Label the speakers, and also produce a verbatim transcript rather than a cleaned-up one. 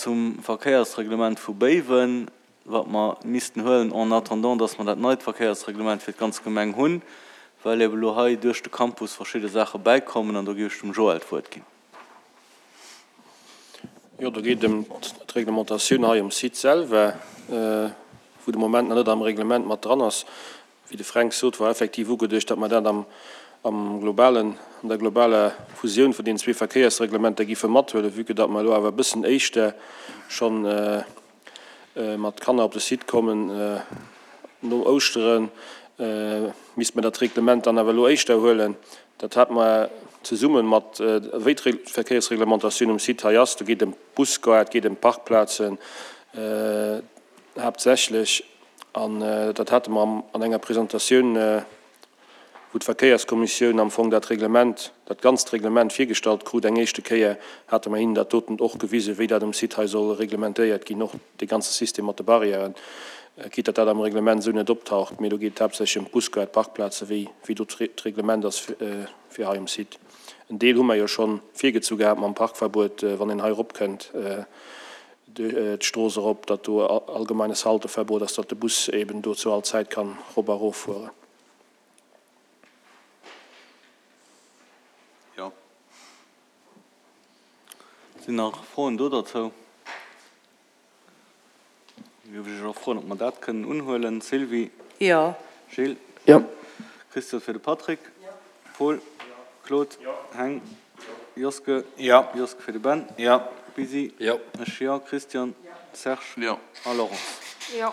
Speaker 1: Zum Verkéiersreglement vu Béiwen, wat mer missten huelen en attendant, dass mer dat neit Verkéiersreglement fir d'ganz Gemeng hunn, well eben elo hei duerch de Campus verschidde Saache bäikommen an do géif ech dem Joël d'Wuert ginn.
Speaker 2: Jo, do geet et ëm d'Reglementatioun hei um Site selwer, wou de Moment nach net am Reglement mat dran ass. Wéi de Fränk sot, war effektiv ugeduecht, datt mer dat am am globalen, an der globaler Fusioun vun deenen zwee Verkéiersreglementer giffe mathuelen, vue que datt mer elo awer e bëssen éischter schonn mat Kanner op de Site kommen no Ouschteren, misste mer dat Reglement dann awer elo éischter huelen. Dat hate mer zesumme mat, wéi d'Verkéiersreglementatioun um Site hei ass, do geet et ëm d'Busgare, et geet ëm d'Parkplazen haaptsächlech, an dat hate mer an enger Presentatioun, wou d'Verkéierskommissioun am Fong dat Reglement, dat ganzt Reglement virgestallt krut eng éischte Kéier, hate mer hinnen dat doten och gewisen, wéi dat um Site hei soll reglementéiert ginn, och dee ganze System mat de Barrièren, quitte datt dat am Reglement esou net optaucht. Mee do geet et haaptsächlech ëm d'Busgare, d'Parkplazen, wéi, wéi do d'Reglement ass fir hei um Site. En Deel hu mer jo scho virgezu gehat mam Parkverbuet, wann een hei eropkënnt d'Strooss erop, datt do allgemeines Halteverbot ass, datt de Bus eben do zu all Zäit kann erop a eroffueren.
Speaker 1: Jo. Sinn nach Froen do derzou? Da géif ech Iech och froen, ob mer dat kënnen unhuelen. Sylvie?
Speaker 3: Jo.
Speaker 1: Gilles?
Speaker 4: Jo.
Speaker 1: Christophe fir de Patrick? Paul? Claude? Heng? Joske?
Speaker 5: Jo.
Speaker 1: Joske fir de Ben?
Speaker 5: Jo.
Speaker 1: Bisi?
Speaker 5: Jo.
Speaker 1: Ech jo. Christian? Serge?
Speaker 5: Jo.
Speaker 1: A Laurence?
Speaker 6: Jo.